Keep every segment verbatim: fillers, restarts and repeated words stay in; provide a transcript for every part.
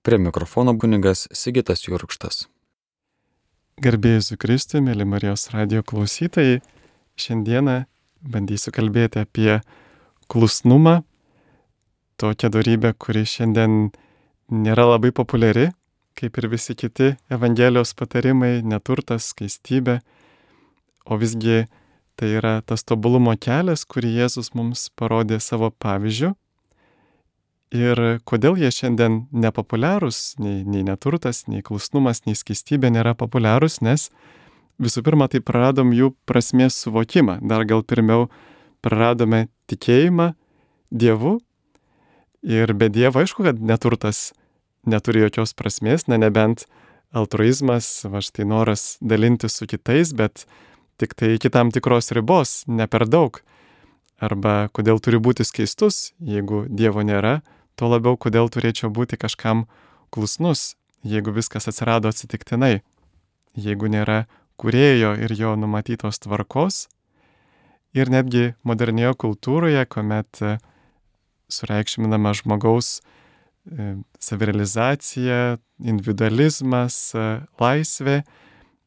Prie mikrofono kunigas Sigitas Jurkštas. Garbė Jėzui Kristui, mėly Marijos radijo klausytojai, šiandieną bandysiu kalbėti apie klusnumą, tokią dorybę, kuri šiandien nėra labai populiari, kaip ir visi kiti Evangelijos patarimai, neturtas, skaistybė, o visgi tai yra tas tobulumo kelias, kurį Jėzus mums parodė savo pavyzdžiu. Ir kodėl jie šiandien nepopuliarūs, nei, nei neturtas, nei klusnumas, nei skaistybė nėra populiarūs, nes visų pirma, tai praradom jų prasmės suvokimą. Dar gal pirmiau praradome tikėjimą Dievu. Ir be Dievo, aišku, kad neturtas neturi jokios prasmės, ne nebent altruizmas, va štai noras dalintis su kitais, bet tik tai iki tam tikros ribos, ne per daug. Arba kodėl turi būti skaistus, jeigu Dievo nėra, tuo labiau kodėl turėčiau būti kažkam klusnus, jeigu viskas atsirado atsitiktinai, jeigu nėra kūrėjo ir jo numatytos tvarkos. Ir netgi modernioje kultūroje, kuomet sureikšminama žmogaus savirealizacija, individualizmas, laisvė,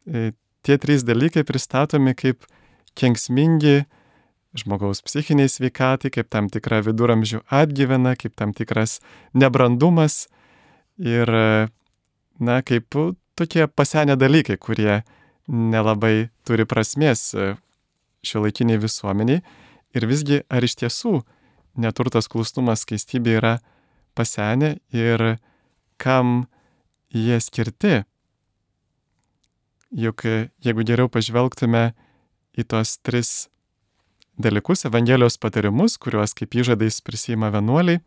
tie trys dalykai pristatomi kaip kenksmingi žmogaus psichiniai sveikatai, kaip tam tikra viduramžių atgyvena, kaip tam tikras nebrandumas ir, na, kaip tokie pasenę dalykai, kurie nelabai turi prasmės šiuolaikiniai visuomeniai. Ir visgi, ar iš tiesų neturtas, klusnumas, skaistybė yra pasenę ir kam jie skirti? Juk jeigu geriau pažvelgtume į tos tris dalykus, Evangelijos patarimus, kuriuos kaip įžadais prisiima vienuoliai,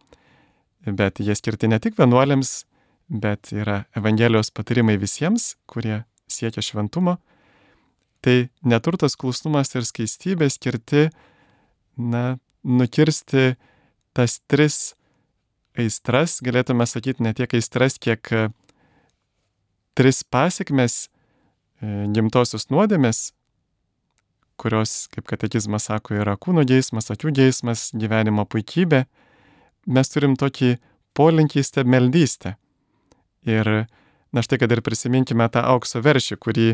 bet jie skirti ne tik vienuoliams, bet yra Evangelijos patarimai visiems, kurie siekia šventumo, tai neturtas, klusnumas ir skaistybė skirti, na, nukirsti tas tris aistras, galėtume sakyti ne tiek aistras, kiek tris pasekmes gimtosios nuodėmės, kurios, kaip katekizmas sako, yra kūno geismas, akių geismas, gyvenimo puikybė. Mes turim tokį polinkį į stabmeldystę. Ir na štai, kad ir prisiminkime tą aukso veršį, kurį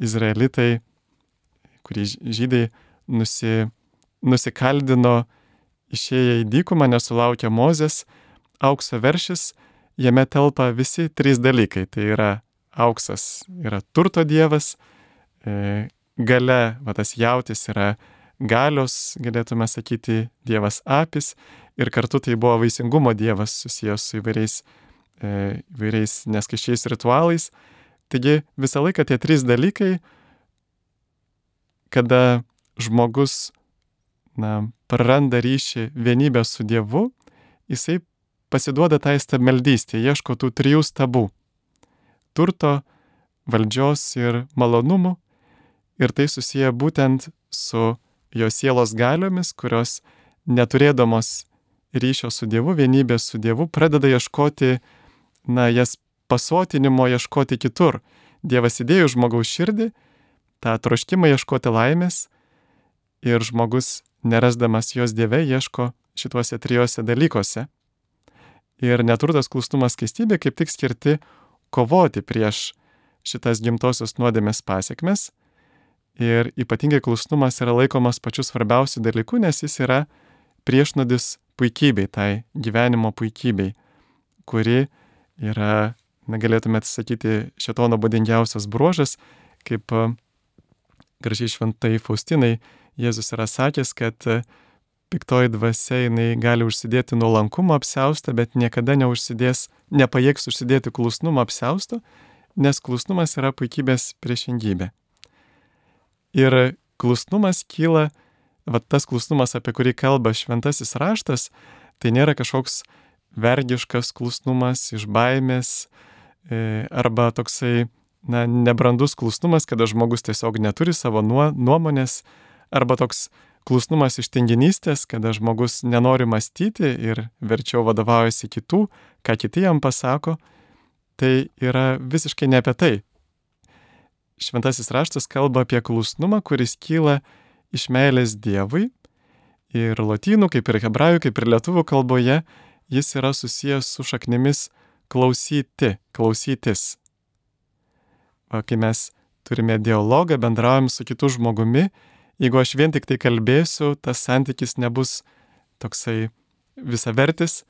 izraelitai, kurį žydai nusi, nusikaldino išėję į dykumą, nesulaukę Mozės. Aukso veršis, jame telpa visi trys dalykai. Tai yra auksas, yra turto dievas, e, Gale, va tas jautis yra galios, galėtume sakyti, dievas Apis, ir kartu tai buvo vaisingumo dievas susijęs su įvairiais, e, įvairiais neskaičiais ritualais. Taigi visą laiką tie trys dalykai, kada žmogus, na, praranda ryšį, vienybę su Dievu, jisai pasiduoda tai stabmeldystė, ieško tų trijų stabų - turto, valdžios ir malonumų. Ir tai susiję būtent su jo sielos galiomis, kurios neturėdamos ryšio su Dievu, vienybės su Dievu, pradeda ieškoti, na, jas pasotinimo ieškoti kitur. Dievas įdėjo žmogaus širdį, tą troškimą ieškoti laimės, ir žmogus, nerasdamas jos Dieve, ieško šituose trijose dalykuose. Ir neturtas, klusnumas, skaistybė kaip tik skirti kovoti prieš šitas gimtosios nuodėmės pasekmes. Ir ypatingai klusnumas yra laikomas pačiu svarbiausiu dalyku, nes jis yra priešnodis puikybei, tai gyvenimo puikybei, kuri yra, na, galėtumėte sakyti, šėtono būdingiausias bruožas, kaip gražiai šventai Faustinai Jėzus yra sakęs, kad piktoji dvasia jinai gali užsidėti nuolankumo apsiaustą, bet niekada neužsidės, nepajėgs užsidėti klusnumo apsiausto, nes klusnumas yra puikybės priešingybė. Ir klusnumas kyla, va tas klusnumas, apie kurį kalba šventasis raštas, tai nėra kažkoks vergiškas klusnumas iš baimės, e, arba toksai, na, nebrandus klusnumas, kada žmogus tiesiog neturi savo nuomonės, arba toks klusnumas iš tinginystės, kada žmogus nenori mąstyti ir verčiau vadovaujasi kitų, ką kiti jam pasako. Tai yra visiškai ne apie tai. Šventasis raštas kalba apie klusnumą, kuris kyla iš meilės Dievui, ir lotynų, kaip ir hebrajų, kaip ir lietuvių kalboje, jis yra susijęs su šaknimis klausyti, klausytis. O kai mes turime dialogą, bendraujam su kitu žmogumi, jeigu aš vien tik tai kalbėsiu, tas santykis nebus toksai visavertis,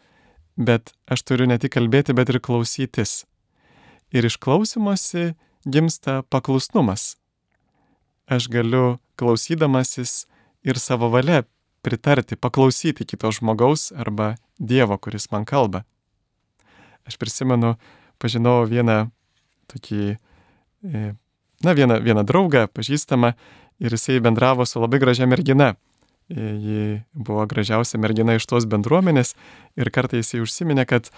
bet aš turiu ne tik kalbėti, bet ir klausytis. Ir iš klausymosi gimsta paklusnumas. Aš galiu klausydamasis ir savo valia pritarti, paklausyti kito žmogaus arba Dievo, kuris man kalba. Aš prisimenu, pažinau vieną tokį, na, vieną, vieną draugą, pažįstamą, ir jisai bendravo su labai gražia mergina. Ji buvo gražiausia mergina iš tos bendruomenės ir kartais jisai užsiminė, kad,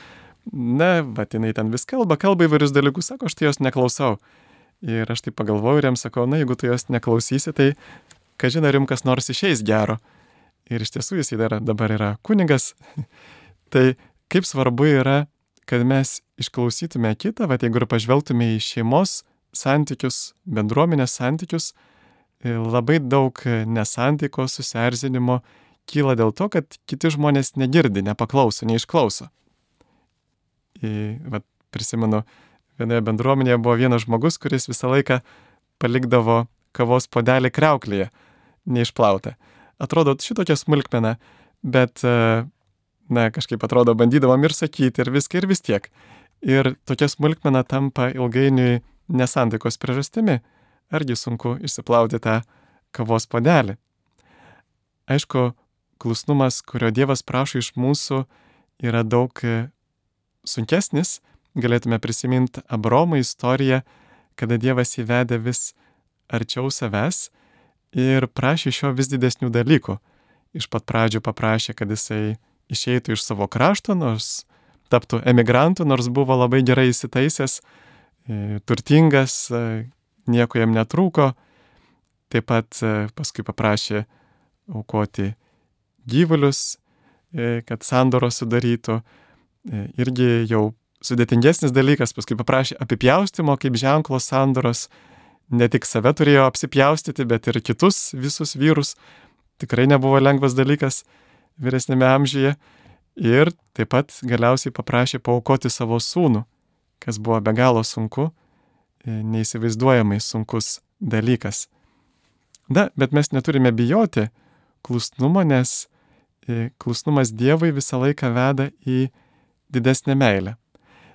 na, va, jinai ten vis kalba, kalba įvairius dalykus, sako, aš tai jos neklausau. Ir aš taip pagalvoju ir jam sakau, na, jeigu tu jos neklausysi, tai kažin ar jums kas nors išeis gero. Ir iš tiesų jisai dar dabar yra kunigas. Tai kaip svarbu yra, kad mes išklausytume kitą, va, jeigu ir pažvelgtume į šeimos santykius, bendruomenės santykius, labai daug nesantaikos, susierzinimo kyla dėl to, kad kiti žmonės negirdi, nepaklauso, neišklauso. Va, prisimenu, vienoje bendruomenėje buvo vienas žmogus, kuris visą laiką palikdavo kavos puodelį kriauklėje, neišplautą. Atrodo šitokia smulkmena, bet, na, kažkaip atrodo, bandydavom ir sakyti, ir viską, ir vis tiek. Ir tokia smulkmena tampa ilgainiui nesantaikos priežastimi. Argi sunku išsiplauti tą kavos puodelį. Aišku, klusnumas, kurio Dievas prašo iš mūsų, yra daug sunkesnis. Galėtume prisiminti Abraomo istoriją, kada Dievas įvedė vis arčiau savęs ir prašė iš jo vis didesnių dalykų. Iš pat pradžių paprašė, kad jisai išeitų iš savo krašto, nors taptų emigrantų, nors buvo labai gerai įsitaisęs, turtingas, nieko jam netrūko. Taip pat paskui paprašė aukoti gyvulius, kad sandoros sudarytų. Irgi jau sudėtingesnis dalykas, paskui paprašė apipjaustimo kaip ženklo sandoros. Ne tik save turėjo apsipjaustyti, bet ir kitus visus vyrus. Tikrai nebuvo lengvas dalykas vyresnėme amžiuje. Ir taip pat galiausiai paprašė paaukoti savo sūnų, kas buvo be galo sunku, neįsivaizduojamai sunkus dalykas. Na, bet mes neturime bijoti klusnumo, nes klusnumas Dievui visą laiką veda į didesnę meilę.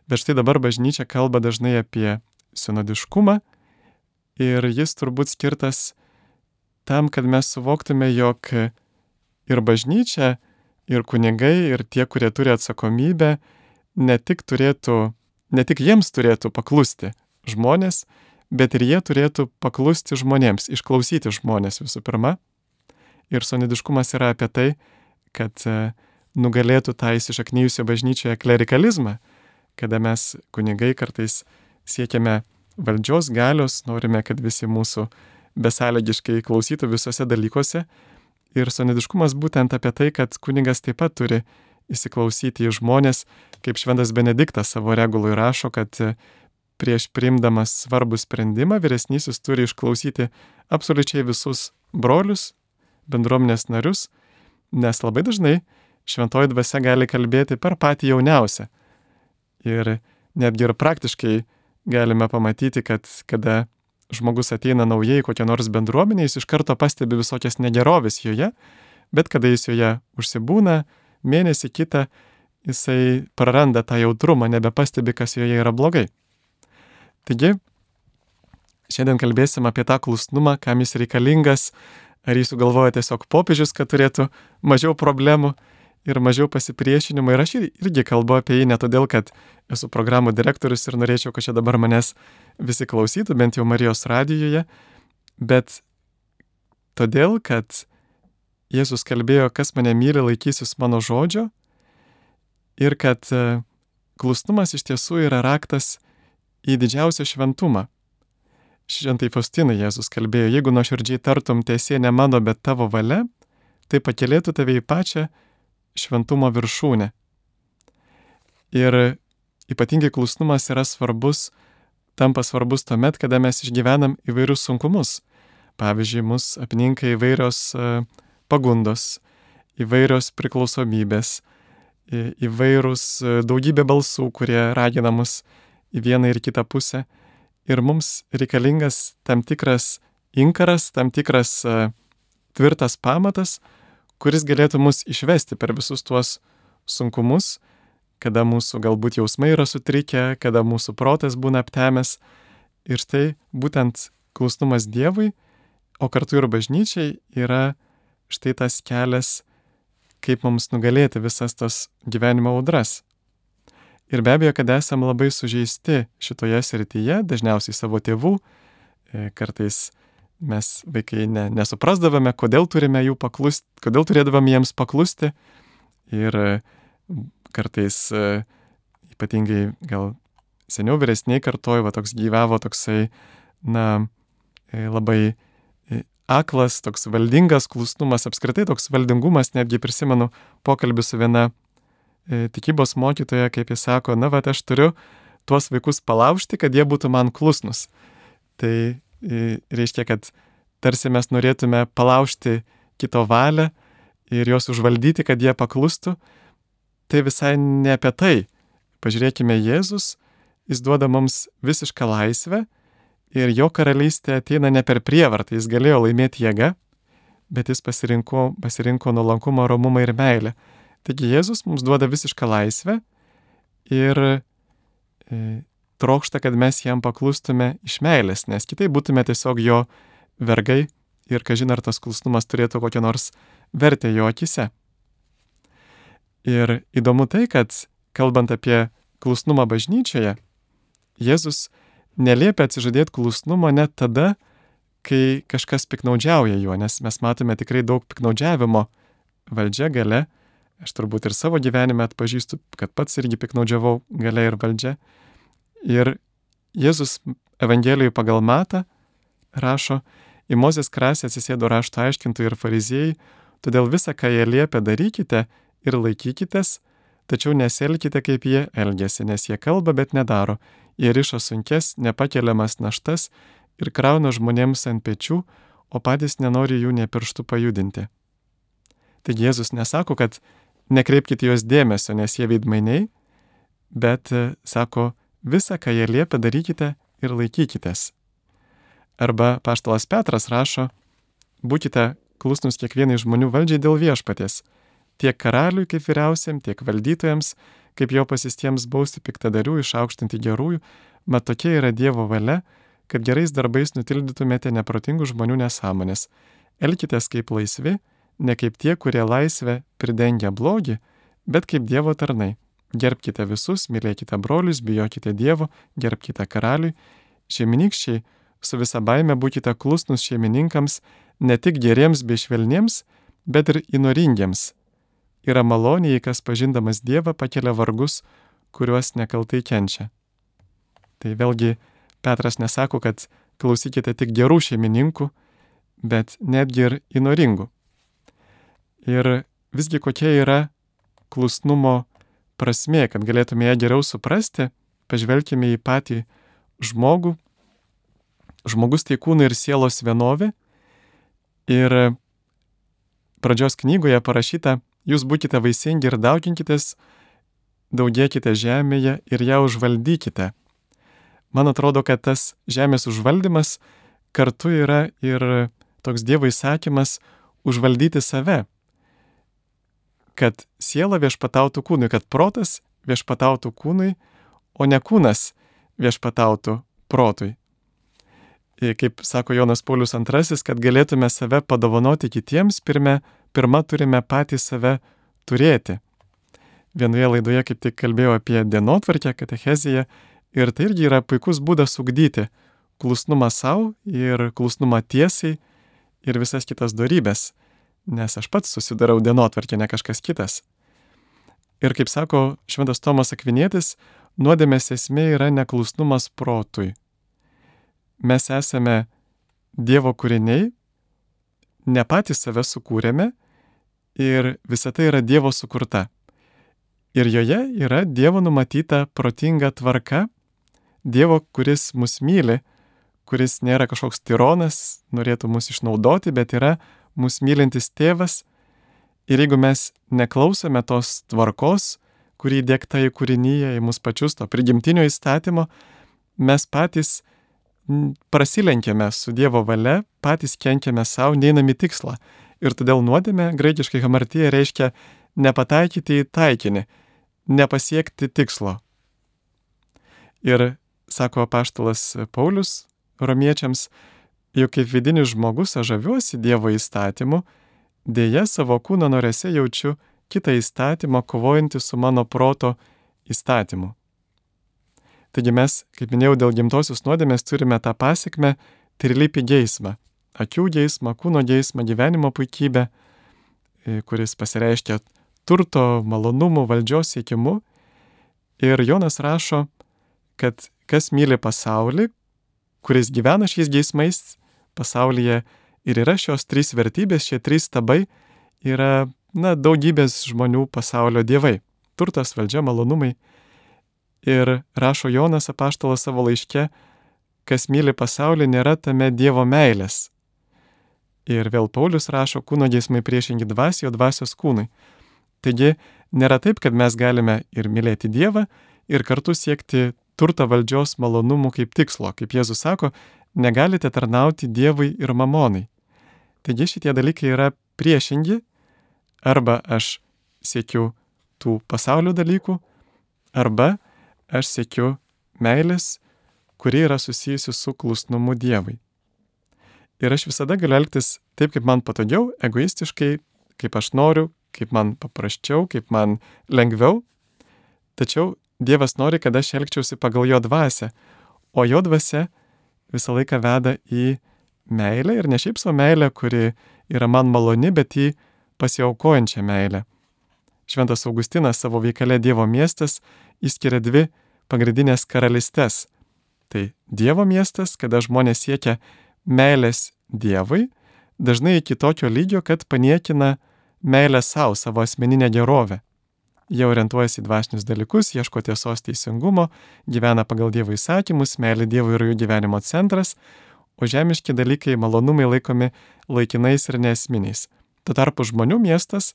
Bet štai dabar bažnyčia kalba dažnai apie sinodiškumą ir jis turbūt skirtas tam, kad mes suvoktume, jog ir bažnyčia, ir kunigai, ir tie, kurie turi atsakomybę, ne tik turėtų, ne tik jiems turėtų paklusti žmonės, bet ir jie turėtų paklusti žmonėms, išklausyti žmonės visų pirma. Ir sinodiškumas yra apie tai, kad nugalėtų tą įsišaknyjusią bažnyčioje klerikalizmą, kada mes kunigai kartais siekiame valdžios galios, norime, kad visi mūsų besąlygiškai klausytų visose dalykuose. Ir sinodiškumas būtent apie tai, kad kunigas taip pat turi įsiklausyti į žmonės, kaip šventas Benediktas savo regului rašo, kad prieš priimdamas svarbų sprendimą vyresnysis turi išklausyti absoliučiai visus brolius, bendruomenės narius, nes labai dažnai šventoji dvasia gali kalbėti per patį jauniausią. Ir netgi ir praktiškai galime pamatyti, kad kada žmogus ateina naujai kokią nors bendruomenę, jis iš karto pastebi visokias negeroves joje, bet kada jis joje užsibūna, mėnesį kitą, jisai praranda tą jautrumą, nebepastebi, kas joje yra blogai. Taigi, šiandien kalbėsim apie tą klusnumą, kam jis reikalingas, ar jis sugalvoja tiesiog popiežius, kad turėtų mažiau problemų ir mažiau pasipriešinimo. Ir aš irgi kalbu apie jį ne todėl, kad esu programų direktorius ir norėčiau, kad čia dabar manęs visi klausytų, bent jau Marijos radijoje, bet todėl, kad Jėzus kalbėjo, kas mane myli, laikysis mano žodžio, ir kad klusnumas iš tiesų yra raktas į didžiausią šventumą. Šventai Faustinai Jėzus kalbėjo, jeigu nuoširdžiai tartum teesie ne mano, bet tavo valia, tai pakylėtų tave į pačią šventumo viršūnę. Ir ypatingai klusnumas yra svarbus, tampa svarbus tuomet, kada mes išgyvenam įvairius sunkumus. Pavyzdžiui, mus apninka įvairios pagundos, įvairios priklausomybės, įvairūs daugybė balsų, kurie ragina mus į vieną ir kitą pusę. Ir mums reikalingas tam tikras inkaras, tam tikras uh, tvirtas pamatas, kuris galėtų mus išvesti per visus tuos sunkumus, kada mūsų galbūt jausmai yra sutrikę, kada mūsų protas būna aptemęs. Ir štai būtent klusnumas Dievui, o kartu ir bažnyčiai yra štai tas kelias, kaip mums nugalėti visas tas gyvenimo audras. Ir be abejo, kad esam labai sužeisti šitoje srityje, dažniausiai savo tėvų, kartais mes vaikai ne, nesuprasdavome, kodėl turime jų paklusti, kodėl turėdavome jiems paklusti. Ir kartais ypatingai gal seniau vyresniai kartoj, va toks gyvavo toksai, na, labai aklas, toks valdingas klusnumas, apskritai toks valdingumas, netgi prisimenu pokalbį su viena e, tikybos mokytoja, kaip jis sako, na, va, aš turiu tuos vaikus palaužti, kad jie būtų man klusnus. Tai e, reiškia, kad tarsi mes norėtume palaužti kito valią ir juos užvaldyti, kad jie paklustų. Tai visai ne apie tai. Pažiūrėkime, Jėzus, jis duoda mums visišką laisvę. Ir jo karalystė ateina ne per prievartą, jis galėjo laimėti jėgą, bet jis pasirinko, pasirinko nuolankumą, romumą ir meilę. Taigi Jėzus mums duoda visišką laisvę ir e, trokšta, kad mes jam paklustume iš meilės, nes kitaip būtume tiesiog jo vergai ir kažin ar tas klusnumas turėtų kokią nors vertę jo akise. Ir įdomu tai, kad kalbant apie klusnumą bažnyčioje, Jėzus neliepia atsižadėti klusnumo net tada, kai kažkas piknaudžiauja juo, nes mes matome tikrai daug piknaudžiavimo valdžia, galia. Aš turbūt ir savo gyvenime atpažįstu, kad pats irgi piknaudžiavau galia ir valdžia. Ir Jėzus Evangelijoje pagal Matą rašo, į Mozės krasę atsisėdo rašto aiškintojai ir fariziejai, todėl visą, ką jie liepia, darykite ir laikykitės, tačiau nesielkite kaip jie elgiasi, nes jie kalba, bet nedaro. Jie riša sunkes, nepakeliamas naštas ir krauna žmonėms ant pečių, o patys nenori jų nė pirštų pajudinti. Taigi Jėzus nesako, kad nekreipkite juos dėmesio, nes jie veidmainiai, bet sako, visą, ką jie liepia, darykite ir laikykitės. Arba apaštalas Petras rašo, būkite klusnus kiekvienai žmonių valdžiai dėl viešpaties, tiek karaliui kaip vyriausiam, tiek valdytojams, kaip jo pasistiems bausti piktadarių, išaukštinti gerųjų, mat tokia yra Dievo valia, kad gerais darbais nutildytumėte neprotingų žmonių nesąmonės. Elkitės kaip laisvi, ne kaip tie, kurie laisvę pridengia blogį, bet kaip Dievo tarnai. Gerbkite visus, mylėkite brolius, bijokite Dievo, gerbkite karaliui. Šeimininkščiai, su visa baime būkite klusnus šeimininkams, ne tik geriems bei švelniems, bet ir įnoringiems. Yra malonė, jei kas pažindamas Dievą pakelia vargus, kuriuos nekaltai kenčia. Tai vėlgi Petras nesako, kad klausykite tik gerų šeimininkų, bet netgi ir įnoringų. Ir visgi kokia yra klusnumo prasmė, kad galėtume ją geriau suprasti, pažvelkime į patį žmogų. Žmogus tai kūno ir sielos vienovė. Ir pradžios knygoje parašyta, jūs būkite vaisingi ir dauginkitės, daugėkite žemėje ir ją užvaldykite. Man atrodo, kad tas žemės užvaldymas kartu yra ir toks Dievo įsakymas užvaldyti save. Kad siela viešpatautų kūnui, kad protas viešpatautų kūnui, o ne kūnas viešpatautų protui. Ir kaip sako Jonas Paulius antrasis, kad galėtume save padovanoti kitiems, pirme, pirma turime patys save turėti. Vienoje laidoje kaip tik kalbėjau apie dienotvarkę, katecheziją, ir tai irgi yra puikus būdas ugdyti klusnumą savo ir klusnumą tiesiai ir visas kitas dorybės, nes aš pats susidarau dienotvarkę, ne kažkas kitas. Ir kaip sako šventas Tomas Akvinietis, nuodėmės esmė yra neklusnumas protui. Mes esame Dievo kūriniai, ne patys save sukūrėme ir visa tai yra Dievo sukurta. Ir joje yra Dievo numatyta protinga tvarka, Dievo, kuris mus myli, kuris nėra kažkoks tironas, norėtų mus išnaudoti, bet yra mus mylintis tėvas. Ir jeigu mes neklausome tos tvarkos, kurį dėkta į kūrinyje, į mus pačius, to prigimtinio įstatymo, mes patys prasilenkėme su Dievo valia, patys kenkiame savo, neinam į tikslą. Ir todėl nuodėmė, graikiškai hamartija, reiškia nepataikyti į taikinį, nepasiekti tikslo. Ir sako apaštalas Paulius romiečiams, juk kaip vidinis žmogus aš žaviuosi Dievo įstatymu, dėja savo kūno norėse jaučiu kitą įstatymą kovojantį su mano proto įstatymu. Taigi mes, kaip minėjau, dėl gimtosios nuodėmės turime tą pasekmę trilypį geismą. Akių geismą, kūno geismą, gyvenimo puikybę, kuris pasireiškia turto, malonumų, valdžios siekimu. Ir Jonas rašo, kad kas myli pasaulį, kuris gyvena šiais geismais pasaulyje, ir yra šios trys vertybės, šie trys stabai yra, na, daugybės žmonių pasaulio dievai. Turtas, valdžia, malonumai. Ir rašo Jonas apaštalas savo laiške, kas myli pasaulį, nėra tame Dievo meilės. Ir vėl Paulius rašo, kūno geismai priešingi dvasiai, o dvasios kūnui. Taigi, nėra taip, kad mes galime ir mylėti Dievą, ir kartu siekti turto, valdžios, malonumų kaip tikslo. Kaip Jėzus sako, negalite tarnauti Dievui ir mamonai. Taigi šitie dalykai yra priešingi, arba aš siekiu tų pasaulio dalykų, arba aš siekiu meilės, kuri yra susijusi su klusnumu Dievui. Ir aš visada galiu elgtis taip, kaip man patogiau, egoistiškai, kaip aš noriu, kaip man paprasčiau, kaip man lengviau. Tačiau Dievas nori, kad aš elgčiausi pagal jo dvasią, o jo dvasia visą laiką veda į meilę, ir ne šiaip savo meilę, kuri yra man maloni, bet į pasiaukojančią meilę. Šventas Augustinas savo veikale Dievo miestas išskiria dvi pagrindinės karalystes. Tai Dievo miestas, kada žmonės siekia meilės Dievui, dažnai iki tokio lygio, kad paniekina meilę savo, savo asmeninę gerovę. Jie orientuojasi į dvasinius dalykus, ieško tiesos, teisingumo, gyvena pagal Dievo įsakymus, meilė Dievui yra jų gyvenimo centras, o žemiški dalykai, malonumai laikomi laikinais ir neesminiais. Tuo tarpu žmonių miestas,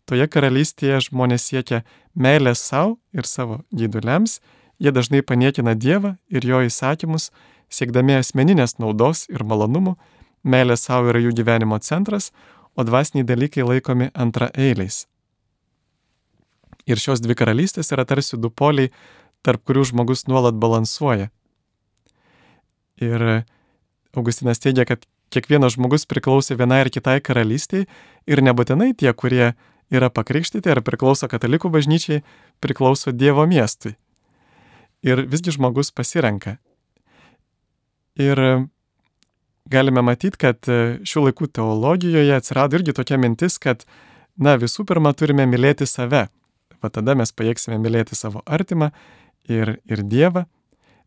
toje karalystėje žmonės siekia meilės savo ir savo gyduliams, jie dažnai paniekina Dievą ir jo įsakymus, siekdami asmeninės naudos ir malonumų, meilė savo yra jų gyvenimo centras, o dvasiniai dalykai laikomi antraeiliais. Ir šios dvi karalystės yra tarsi du poliai, tarp kurių žmogus nuolat balansuoja. Ir Augustinas teigia, kad kiekvienas žmogus priklauso vienai ar kitai karalystiai, ir nebūtinai tie, kurie yra pakrikštyti ar priklauso katalikų bažnyčiai, priklauso Dievo miestui. Ir visgi žmogus pasirenka. Ir galime matyti, kad šių laikų teologijoje atsirado irgi tokia mintis, kad, na, visų pirma turime mylėti save. Va tada mes pajėgsime mylėti savo artimą ir, ir Dievą,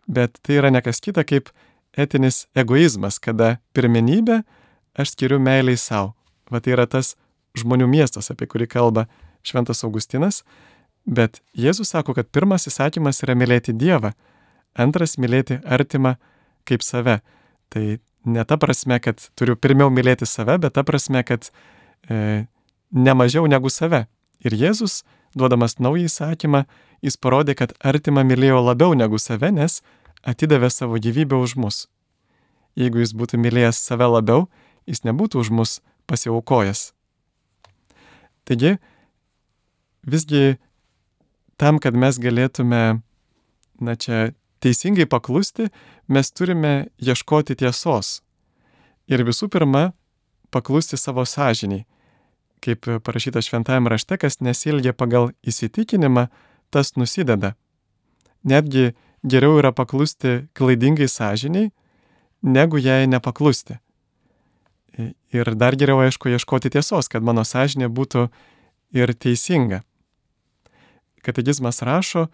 bet tai yra ne kas kita kaip etinis egoizmas, kada pirmenybę aš skiriu meiliai savo. Va tai yra tas žmonių miestas, apie kurį kalba Šventas Augustinas, bet Jėzus sako, kad pirmas įsakymas yra mylėti Dievą, antras mylėti artimą kaip save. Tai ne ta prasme, kad turiu pirmiau mylėti save, bet ta prasme, kad e, ne mažiau negu save. Ir Jėzus, duodamas naują įsakymą, jis parodė, kad artimą mylėjo labiau negu save, nes atidavė savo gyvybę už mus. Jeigu jis būtų mylėjęs save labiau, jis nebūtų už mus pasiaukojęs. Taigi, visgi tam, kad mes galėtume, na čia, teisingai paklusti, mes turime ieškoti tiesos. Ir visų pirma, paklusti savo sąžiniai. Kaip parašyta šventajame rašte, kas nesielgia pagal įsitikinimą, tas nusideda. Netgi geriau yra paklusti klaidingai sąžiniai, negu jai nepaklusti. Ir dar geriau, aišku, ieškoti tiesos, kad mano sąžinė būtų ir teisinga. Katekizmas rašo,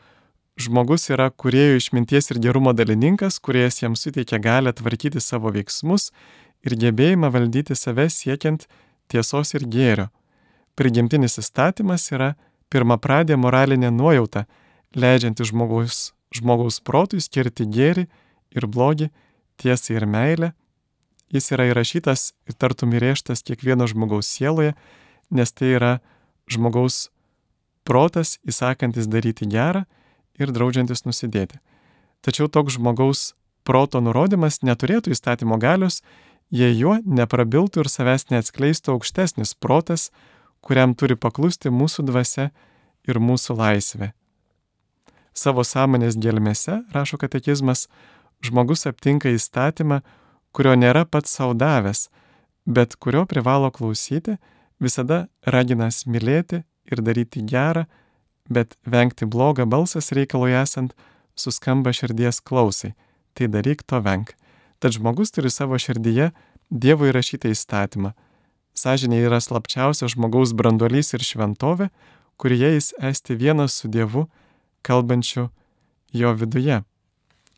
žmogus yra kūrėjų išminties ir gerumo dalininkas, kuriejas jam suteikia galią tvarkyti savo veiksmus ir gebėjimą valdyti save siekiant tiesos ir gėrio. Prigimtinis įstatymas yra pirmapradė moralinė nuojauta, leidžianti žmogaus, žmogaus protui skirti gėrį ir blogį, tiesą ir meilę. Jis yra įrašytas ir tartum įrėžtas kiekvieno žmogaus sieloje, nes tai yra žmogaus protas įsakantis daryti gerą ir draudžiantis nusidėti. Tačiau toks žmogaus proto nurodymas neturėtų įstatymo galios, jei juo neprabiltų ir savęs neatskleistų aukštesnis protas, kuriam turi paklusti mūsų dvasia ir mūsų laisvė. Savo sąmonės gelmėse, rašo katekizmas, žmogus aptinka įstatymą, kurio nėra pats sau davęs, bet kurio privalo klausyti, visada raginas mylėti ir daryti gerą, bet vengti blogą balsas reikalui esant suskamba širdies klausai. Tai daryk, to venk. Tad žmogus turi savo širdyje Dievo įrašytą įstatymą. Sąžinė yra slapčiausias žmogaus branduolys ir šventovė, kurioje jis esti vienas su Dievu, kalbančiu jo viduje.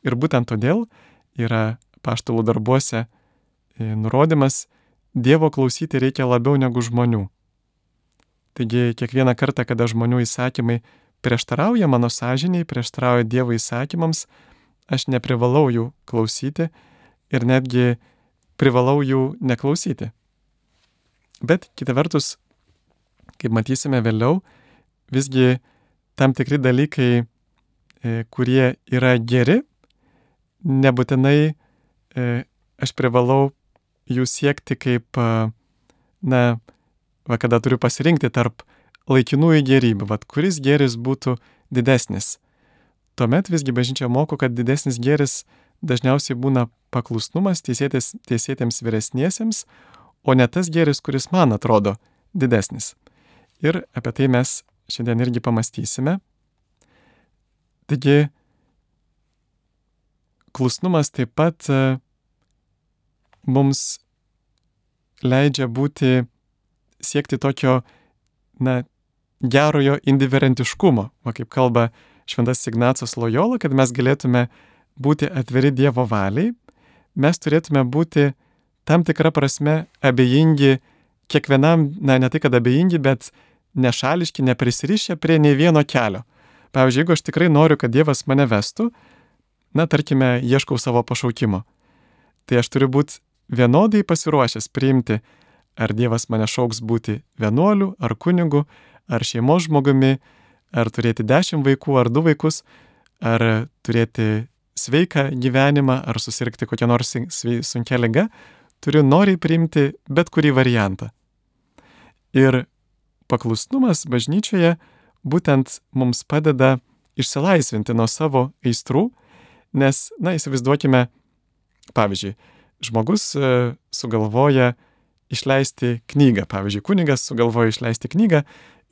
Ir būtent todėl yra apaštalų darbuose nurodymas, Dievo klausyti reikia labiau negu žmonių. Taigi kiekvieną kartą, kada žmonių įsakymai prieštarauja mano sąžiniai, prieštarauja Dievo įsakymams, aš neprivalau jų klausyti ir netgi privalau jų neklausyti. Bet kita vertus, kaip matysime vėliau, visgi tam tikri dalykai, kurie yra geri, nebūtinai aš privalau jų siekti kaip, na, va, kada turiu pasirinkti tarp laikinųjų gėrybių, va, kuris gėris būtų didesnis. Tuomet visgi bažnyčia moko, kad didesnis gėris dažniausiai būna paklusnumas teisėtiems vyresniesiems, o ne tas gėris, kuris man atrodo didesnis. Ir apie tai mes šiandien irgi pamastysime. Taigi, klusnumas taip pat mums leidžia būti, siekti tokio, na, gerojo indiferentiškumo, va kaip kalba šventas Ignacas Lojola, kad mes galėtume būti atviri Dievo valiai, mes turėtume būti tam tikrą prasme abejingi kiekvienam, na, ne tai kad abejingi, bet nešališki, neprisirišę prie nei vieno kelio. Pavyzdžiui, jeigu aš tikrai noriu, kad Dievas mane vestų, na, tarkime, ieškau savo pašaukimo, tai aš turiu būti vienodai pasiruošęs priimti, ar Dievas mane šauks būti vienuoliu, ar kunigu, ar šeimos žmogumi, ar turėti dešimt vaikų, ar du vaikus, ar turėti sveiką gyvenimą, ar susirgti kokią nors sunkia liga, turiu noriai priimti bet kurį variantą. Ir paklusnumas bažnyčioje būtent mums padeda išsilaisvinti nuo savo aistrų, nes, na, įsivaizduokime, pavyzdžiui, žmogus e, sugalvoja išleisti knygą, pavyzdžiui, kunigas sugalvoja išleisti knygą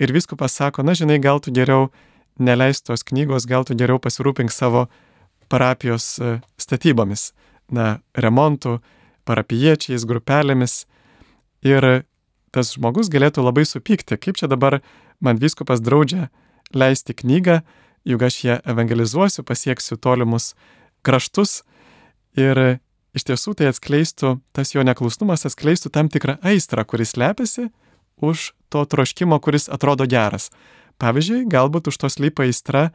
ir vyskupas sako, na, žinai, gal tu geriau neleist tos knygos, gal tu geriau pasirūpink savo parapijos e, statybomis, na, remontų, parapijiečiais, grupelėmis. Ir tas žmogus galėtų labai supykti, kaip čia dabar man vyskupas draudžia leisti knygą, juk aš ją evangelizuosiu, pasieksiu tolimus kraštus. Ir iš tiesų tai atskleistų, tas jo neklusnumas atskleistų tam tikrą aistrą, kuris slepiasi už to troškimo, kuris atrodo geras. Pavyzdžiui, galbūt už to slypa aistra,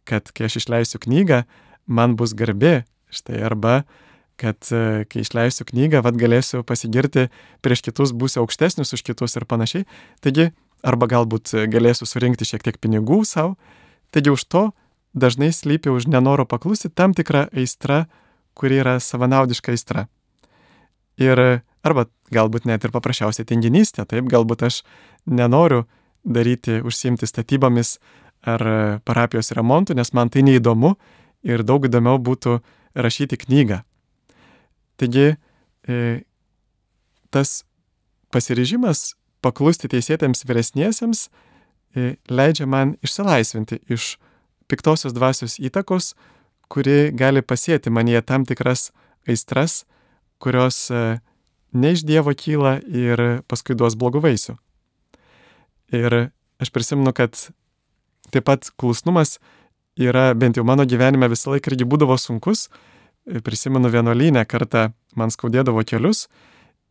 kad kai aš išleisiu knygą, man bus garbė, štai, arba kad kai išleisiu knygą, vad galėsiu pasigirti prieš kitus, būsiu aukštesnis už kitus ir panašiai. Taigi, arba galbūt galėsiu surinkti šiek tiek pinigų savo. Taigi už to dažnai slypi už nenoro paklusti tam tikra aistra, kuri yra savanaudiška aistra. Ir arba galbūt net ir paprasčiausiai tinginystė, taip, galbūt aš nenoriu daryti, užsiimti statybomis ar parapijos remontu, nes man tai neįdomu ir daug įdomiau būtų rašyti knygą. Taigi, tas pasiryžimas paklusti teisėtiems vyresniesiems leidžia man išsilaisvinti iš piktosios dvasios įtakos, kuri gali pasėti manyje tam tikras aistras, kurios ne iš Dievo kyla ir paskui duos blogų vaisių. Ir aš prisimenu, kad taip pat klusnumas yra, bent jau mano gyvenime visą laiką irgi būdavo sunkus. Prisimenu vienuolyne kartą man skaudėdavo kelius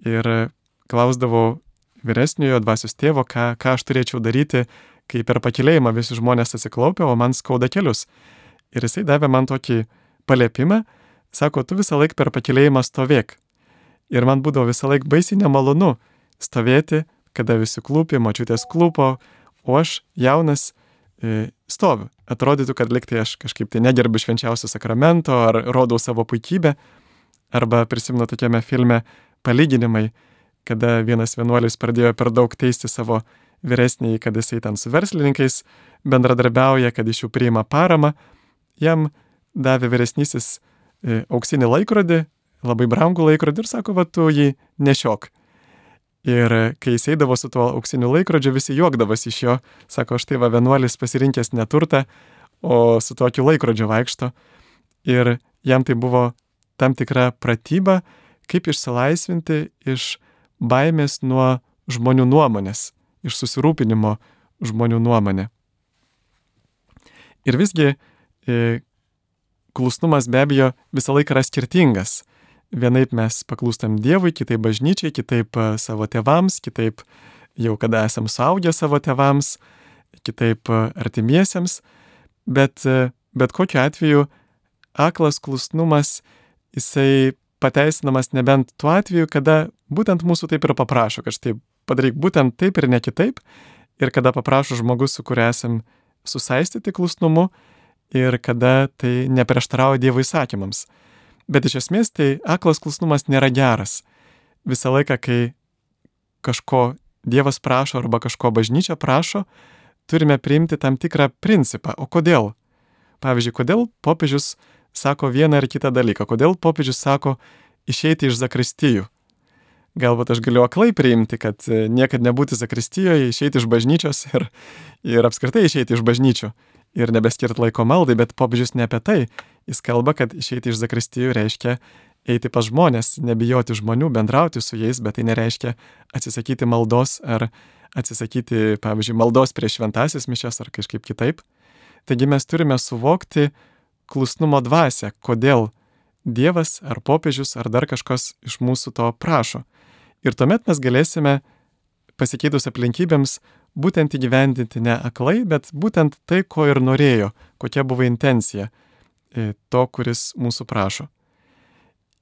ir klausdavau vyresniojo dvasios tėvo, ką, ką aš turėčiau daryti, kai per pakylėjimą visi žmonės atsiklaupia, o man skauda kelius. Ir jisai davė man tokį paliepimą, sako, tu visą laiką per pakylėjimą stovėk. Ir man būdavo visą laiką baisiai nemalonu stovėti kada visi klūpi, močiutės klūpo, o aš jaunas e, stoviu. Atrodytų, kad liktai aš kažkaip tai negerbiu švenčiausio sakramento ar rodau savo puikybę. Arba prisimenu tokiame filme palyginimai, kada vienas vienuolis pradėjo per daug teisti savo vyresnįjį, kad jisai ten su verslininkais bendradarbiauja, kad iš jų priima paramą. Jam davė vyresnysis e, auksinį laikrodį, labai brangų laikrodį ir sako, va tu jį nešiok. Ir kai jis eidavo su tuo auksiniu laikrodžiu, visi juokdavosi iš jo, sako, štai va vienuolis pasirinkęs neturtą, o su tokiu laikrodžiu vaikšto. Ir jam tai buvo tam tikra pratyba, kaip išsilaisvinti iš baimės nuo žmonių nuomonės, iš susirūpinimo žmonių nuomonė. Ir visgi e, klusnumas be abejo visą laiką yra skirtingas. Vienaip mes paklūstam Dievui, kitaip bažnyčiai, kitaip savo tėvams, kitaip jau kada esam suaugę savo tėvams, kitaip artimiesiems, bet, bet kokiu atveju aklas klusnumas jisai pateisinamas nebent tuo atveju, kada būtent mūsų taip ir paprašo, kad štai padaryk būtent taip ir ne kitaip, ir kada paprašo žmogus, su kuriuo esam susaistyti klusnumu, ir kada tai neprieštarauja Dievo įsakymams. Bet iš esmės tai aklas klusnumas nėra geras. Visą laiką, kai kažko Dievas prašo arba kažko bažnyčia prašo, turime priimti tam tikrą principą. O kodėl? Pavyzdžiui, kodėl popiežius sako vieną ar kitą dalyką? Kodėl popiežius sako išeiti iš zakristijų? Galbūt aš galiu aklai priimti, kad niekad nebūti zakristijoje, išeiti iš bažnyčios ir, ir apskritai išeiti iš bažnyčių ir nebeskirti laiko maldai, bet popiežius ne apie tai. Jis kalba, kad išeiti iš zakristijų reiškia eiti pas žmonės, nebijoti žmonių, bendrauti su jais, bet tai nereiškia atsisakyti maldos ar atsisakyti, pavyzdžiui, maldos prieš šventasis mišias ar kažkaip kitaip. Taigi mes turime suvokti klusnumo dvasią, kodėl Dievas ar popiežius ar dar kažkas iš mūsų to prašo. Ir tuomet mes galėsime pasikeitus aplinkybėms būtent įgyvendinti ne aklai, bet būtent tai, ko ir norėjo, kokia buvo intencija to, kuris mūsų prašo.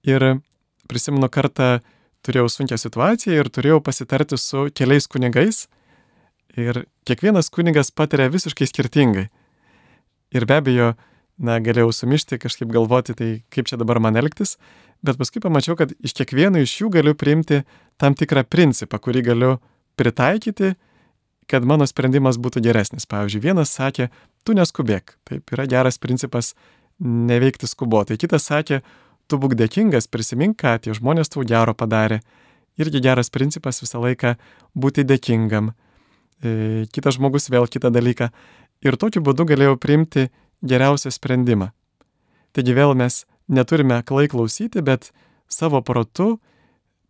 Ir prisimenu kartą turėjau sunkią situaciją ir turėjau pasitarti su keliais kunigais ir kiekvienas kunigas patiria visiškai skirtingai. Ir be abejo, na, galėjau sumišti, kažkaip galvoti, tai kaip čia dabar man elgtis, bet paskui pamačiau, kad iš kiekvieno iš jų galiu priimti tam tikrą principą, kurį galiu pritaikyti, kad mano sprendimas būtų geresnis. Pavyzdžiui, vienas sakė, tu neskubėk, taip yra geras principas neveikti skubotai. Kitas sakė, tu būk dėkingas, prisimink, ką tie žmonės tau gero padarė. Irgi geras principas visą laiką būti dėkingam. E, kitas žmogus vėl kitą dalyką. Ir tokiu būdu galėjau priimti geriausią sprendimą. Taigi vėl mes neturime aklai klausyti, bet savo protu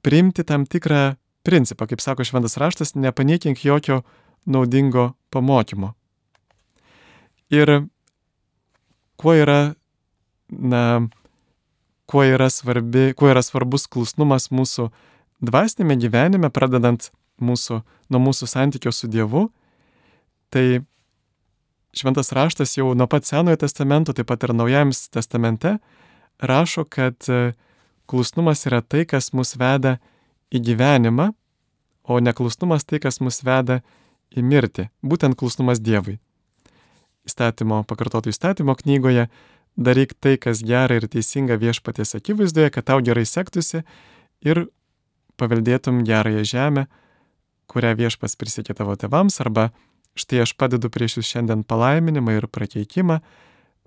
priimti tam tikrą principą. Kaip sako šventas raštas, nepaniekink jokio naudingo pamokymo. Ir kuo yra, na, kuo yra, svarbi, kuo yra svarbus klusnumas mūsų dvasinėme gyvenime, pradedant mūsų, nuo mūsų santykio su Dievu, tai šventas raštas jau nuo pat Senojo testamento, taip pat ir Naujajame testamente, rašo, kad klusnumas yra tai, kas mus veda į gyvenimą, o neklusnumas tai, kas mus veda į mirtį. Būtent klusnumas Dievui. Įstatymo, pakartoto įstatymo knygoje daryk tai, kas gera ir teisinga viešpaties akivaizdoje, kad tau gerai sektųsi ir paveldėtum gerąją žemę, kurią viešpats prisiekė tavo tėvams, arba štai aš padedu prieš jūs šiandien palaiminimą ir prakeikimą,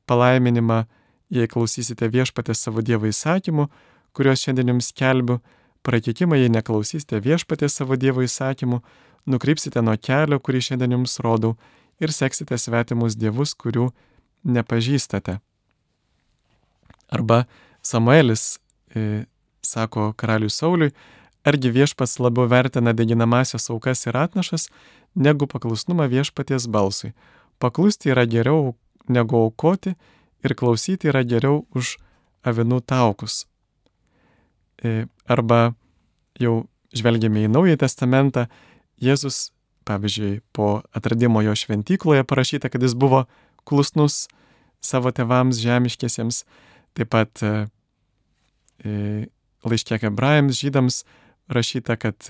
palaiminimą, jei klausysite viešpatės savo Dievo įsakymų, kuriuos šiandien jums skelbiu, prakeikimą, jei neklausysite viešpatės savo Dievo įsakymų, nukrypsite nuo kelio, kurį šiandien jums rodau, ir seksite svetimus dievus, kurių nepažįstate. Arba Samuelis e, sako karaliui Sauliui, argi viešpats labiau vertina deginamasias aukas ir atnašas, negu paklusnumą viešpaties balsui. Paklusti yra geriau negu aukoti ir klausyti yra geriau už avinų taukus. E, arba jau žvelgiame į Naująjį testamentą, Jėzus, pavyzdžiui, po atradimo jo šventykloje parašyta, kad jis buvo klusnus savo tėvams žemiškiesiems, taip pat e, laiške Hebrajams žydams rašyta, kad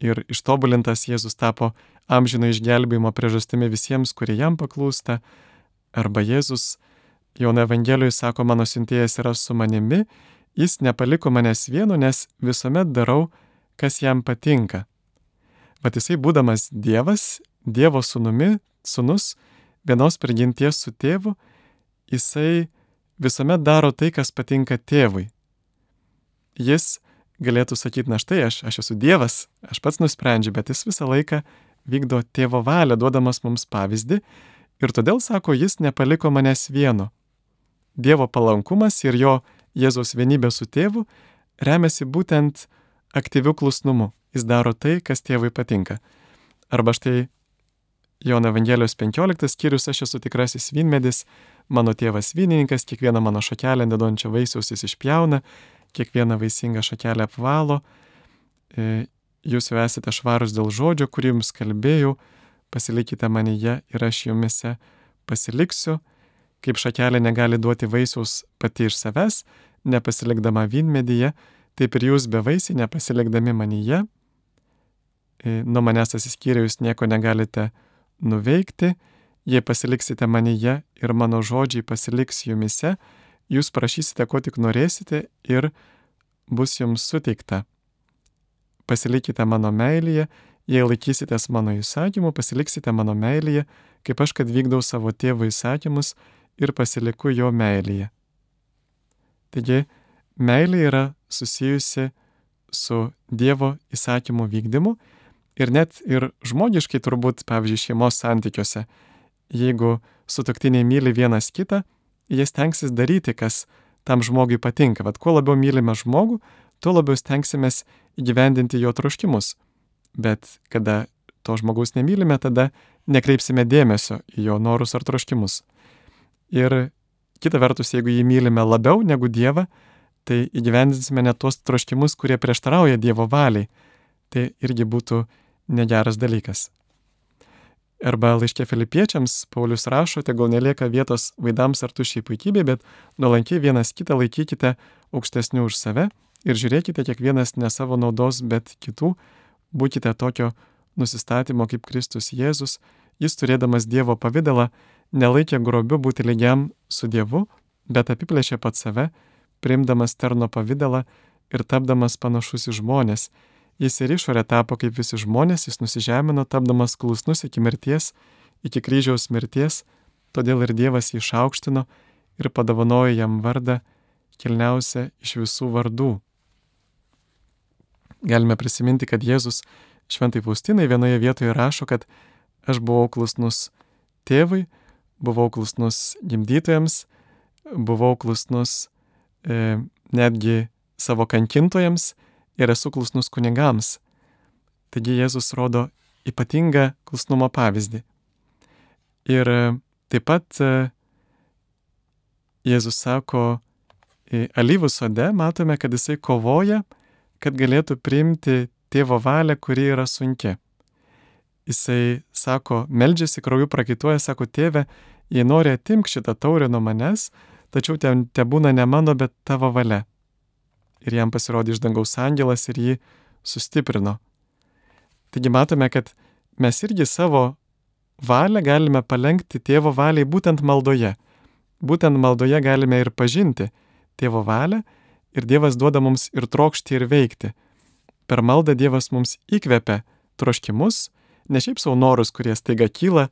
ir ištobulintas Jėzus tapo amžino išgelbėjimo priežastimi visiems, kurie jam paklūsta. Arba Jėzus Jono Evangelijoje sako, mano siuntėjas yra su manimi, jis nepaliko manęs vieno, nes visuomet darau, kas jam patinka. Vat jisai būdamas Dievas, Dievo sūnumi, sūnus, vienos prigimties su tėvu, jisai visuomet daro tai, kas patinka tėvui. Jis galėtų sakyti, na štai aš, aš esu Dievas, aš pats nusprendžiu, bet jis visą laiką vykdo tėvo valią, duodamas mums pavyzdį. Ir todėl, sako, jis nepaliko manęs vieno. Dievo palankumas ir jo Jėzaus vienybė su tėvu remiasi būtent aktyviu klusnumu. Jis daro tai, kas tėvui patinka. Arba štai Jono Evangelijos penkioliktas skyrius, aš esu tikrasis vynmedis, mano tėvas vynininkas, kiekvieną mano šakelę neduodančią vaisiaus jis išpjauna, kiekvieną vaisingą šakelę apvalo. Jūs jau esate švarūs dėl žodžio, kurį jums kalbėjau, pasilikite manyje ir aš jumise pasiliksiu. Kaip šakelė negali duoti vaisiaus pati iš savęs, nepasilikdama vynmedyje, taip ir jūs bevaisiai nepasilikdami manyje. Nuo manęs atsiskyrę jūs nieko negalite nuveikti, jei pasiliksite manyje ir mano žodžiai pasiliks jumise, jūs prašysite, ko tik norėsite ir bus jums suteikta. Pasilikite mano meilėje, jei laikysitės mano įsakymų, pasiliksite mano meilėje, kaip aš, kad vykdau savo tėvo įsakymus ir pasiliku jo meilėje. Taigi, meilė yra susijusi su Dievo įsakymų vykdymu ir net ir žmogiškai turbūt, pavyzdžiui, šeimos santykiuose, jeigu sutuoktiniai myli vienas kitą, jie stengsis daryti, kas tam žmogui patinka. Vat kuo labiau mylime žmogų, tuo labiau stengsimės įgyvendinti jo troškimus. Bet kada to žmogaus nemylime, tada nekreipsime dėmesio į jo norus ar troškimus. Ir kita vertus, jeigu jį mylime labiau negu Dievą, tai įgyvendinsime net tuos troškimus, kurie prieštarauja Dievo valiai. Tai irgi būtų negeras dalykas. Arba laiške Filipiečiams Paulius rašo, tegul nelieka vietos vaidams ar tuščiai puikybei, bet nuolankiai vienas kitą laikykite aukštesniu už save ir žiūrėkite kiekvienas ne savo naudos, bet kitų. Būkite tokio nusistatymo kaip Kristus Jėzus. Jis turėdamas Dievo pavidalą nelaikė grobiu būti lygiam su Dievu, bet apiplėšė pats save, priimdamas tarno pavidalą ir tapdamas panašus į žmonės. Jis ir išorė tapo kaip visi žmonės, jis nusižemino, tapdamas klusnus iki mirties, iki kryžiaus mirties, todėl ir Dievas jį išaukštino ir padovanojo jam vardą kilniausią iš visų vardų. Galime prisiminti, kad Jėzus šventai Faustinai vienoje vietoje rašo, kad aš buvau klusnus tėvui, buvau klusnus gimdytojams, buvau klusnus e, netgi savo kankintojams ir esu klusnus kunigams. Taigi Jėzus rodo ypatingą klusnumo pavyzdį. Ir e, taip pat e, Jėzus sako, e, alyvų sode matome, kad jisai kovoja, kad galėtų priimti tėvo valią, kuri yra sunki. Jisai sako, meldžiasi, krauju prakaituoja, sako, tėve, jei nori atimk šitą taurę nuo manęs, tačiau ten tebūna ne mano, bet tavo valia. Ir jam pasirodė iš dangaus angelas ir jį sustiprino. Taigi matome, kad mes irgi savo valią galime palenkti tėvo valiai būtent maldoje. Būtent maldoje galime ir pažinti tėvo valią ir Dievas duoda mums ir trokšti ir veikti. Per maldą Dievas mums įkvepia troškimus, ne šiaip savo norus, kurie staiga kyla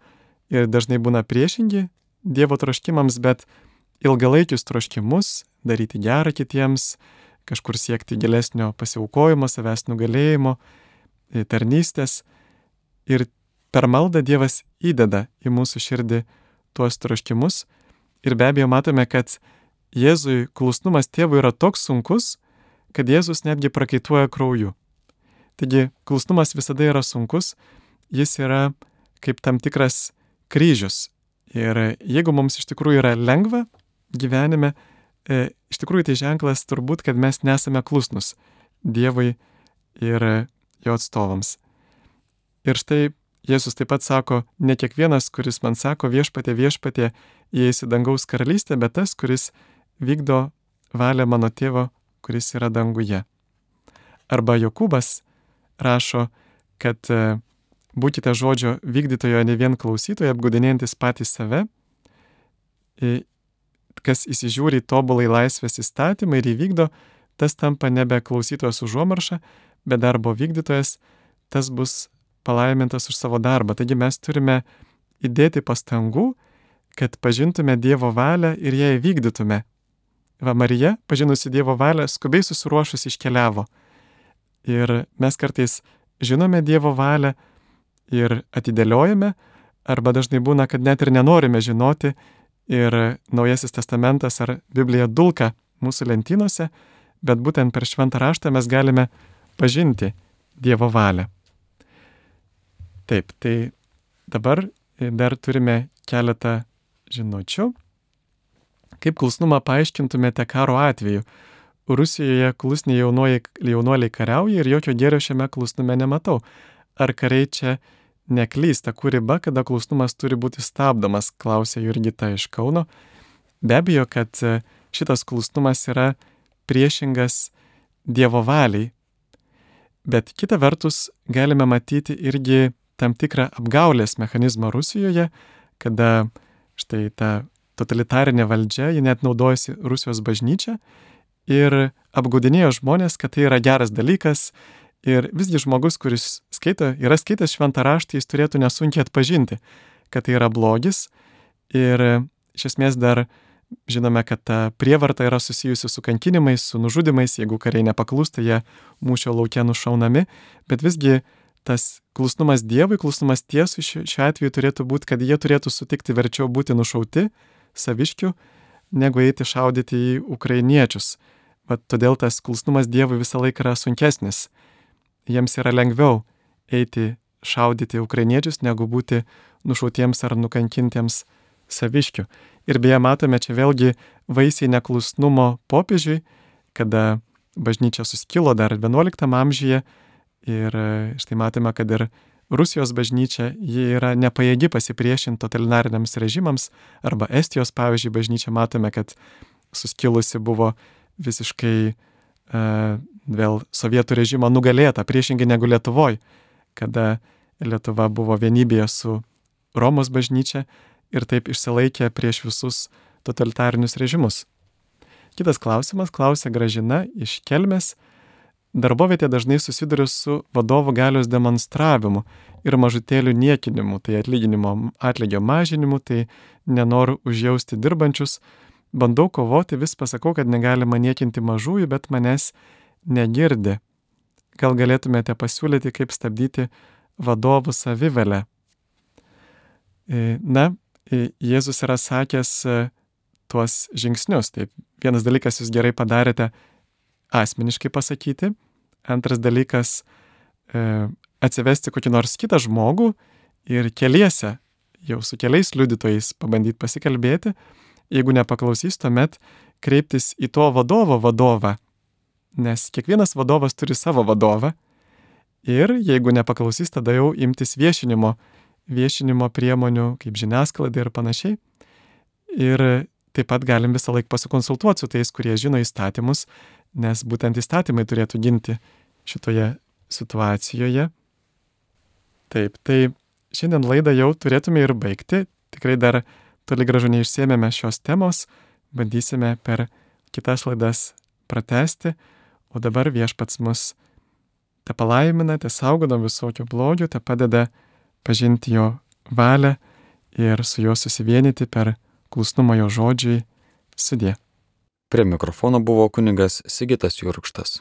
ir dažnai būna priešingi Dievo troškimams, bet ilgalaikius troškimus, daryti gerą kitiems, kažkur siekti gilesnio pasiaukojimo, savęs nugalėjimo, tarnystės. Ir per maldą Dievas įdeda į mūsų širdį tuos troškimus. Ir be abejo matome, kad Jėzui klusnumas tėvui yra toks sunkus, kad Jėzus netgi prakaituoja krauju. Taigi klusnumas visada yra sunkus, jis yra kaip tam tikras kryžius. Ir jeigu mums iš tikrųjų yra lengva gyvenime, e, iš tikrųjų tai ženklas turbūt, kad mes nesame klusnus Dievui ir jo atstovams. Ir štai Jėzus taip pat sako, ne kiekvienas, kuris man sako viešpatie, viešpatie, įeis į dangaus karalystę, bet tas, kuris vykdo valią mano tėvo, kuris yra danguje. Arba Jokūbas rašo, kad būkite žodžio vykdytojo, ne vien klausytojo, apgaudinėjantis patys save, kas įsižiūri tobulai laisvės įstatymą ir įvykdo, tas tampa nebe klausytojas užuomarša, bet darbo vykdytojas, tas bus palaimintas už savo darbą. Taigi mes turime įdėti pastangų, kad pažintume Dievo valią ir ją įvykdytume. Va, Marija, pažinusi Dievo valią, skubiai susiruošus iškeliavo. Ir mes kartais žinome Dievo valią ir atidėliojame, arba dažnai būna, kad net ir nenorime žinoti, ir Naujasis testamentas ar Biblija dulka mūsų lentynose, bet būtent per šventą raštą mes galime pažinti Dievo valią. Taip, tai dabar dar turime keletą žinučių. Kaip klusnumą paaiškintumėte karo atveju? Rusijoje klusniai jaunuoliai kariauja ir jokio gėrio šiame klusnume nematau. Ar kariai čia neklysta, kur riba, kada klusnumas turi būti stabdomas, klausė Jurgita iš Kauno. Be abejo, kad šitas klusnumas yra priešingas Dievo valiai. Bet kita vertus galime matyti irgi tam tikrą apgaulės mechanizmą Rusijoje, kada štai ta totalitarinė valdžia, ji net naudojasi Rusijos bažnyčia ir apgaudinėjo žmonės, kad tai yra geras dalykas ir visgi žmogus, kuris skaito, yra skaitęs šventą raštą, jis turėtų nesunkiai atpažinti, kad tai yra blogis ir iš esmės dar žinome, kad ta prievarta yra susijusi su kankinimais, su nužudimais, jeigu kariai nepaklūsta, jie mūšio lauke nušaunami, bet visgi tas klusnumas Dievui, klusnumas tiesui šiuo atveju turėtų būti, kad jie turėtų sutikti verčiau būti nušauti saviškių, negu eiti šaudyti į ukrainiečius. Vat todėl tas klusnumas Dievui visą laiką yra sunkesnis. Jiems yra lengviau eiti šaudyti ukrainiečius, negu būti nušautiems ar nukankintiems saviškių. Ir beje, matome čia vėlgi vaisiai neklusnumo popiežiui, kada bažnyčia suskilo dar vienuoliktam amžiuje ir štai matome, kad ir Rusijos bažnyčia, ji yra nepajėgi pasipriešinti totalitariniams režimams, arba Estijos, pavyzdžiui, bažnyčia matome, kad suskilusi buvo visiškai uh, vėl sovietų režimo nugalėta, priešingai negu Lietuvoj, kada Lietuva buvo vienybėje su Romos bažnyčia ir taip išsilaikė prieš visus totalitarinius režimus. Kitas klausimas, klausė Gražina iš Kelmės. Darbovietė dažnai susiduria su vadovų galios demonstravimu ir mažutėlių niekinimu, tai atlyginimo atlygio mažinimu, tai nenoru užjausti dirbančius. Bandau kovoti, vis pasakau, kad negalima niekinti mažųjų, bet manęs negirdi. Gal galėtumėte pasiūlyti, kaip stabdyti vadovų savivalę? Na, Jėzus yra sakęs tuos žingsnius. Taip, vienas dalykas jūs gerai padarėte asmeniškai pasakyti. Antras dalykas e, atsivesti kokį nors kitą žmogų ir keliese, jau su keliais liudytojais pabandyti pasikalbėti. Jeigu nepaklausys, tuomet kreiptis į to vadovo vadovą, nes kiekvienas vadovas turi savo vadovą. Ir jeigu nepaklausys, tada jau imtis viešinimo, viešinimo priemonių kaip žiniasklaida ir panašiai. Ir taip pat galim visą laiką pasikonsultuoti su tais, kurie žino įstatymus, nes būtent įstatymai turėtų ginti šitoje situacijoje. Taip, tai šiandien laidą jau turėtume ir baigti. Tikrai dar toli gražu neišsėmėme šios temos, bandysime per kitas laidas pratęsti, o dabar Viešpats mus te palaimina, te saugo nuo visokio blogio, te padeda pažinti jo valią ir su juo susivienyti per klusnumą jo žodžiui. Sudie. Prie mikrofono buvo kunigas Sigitas Jurkštas.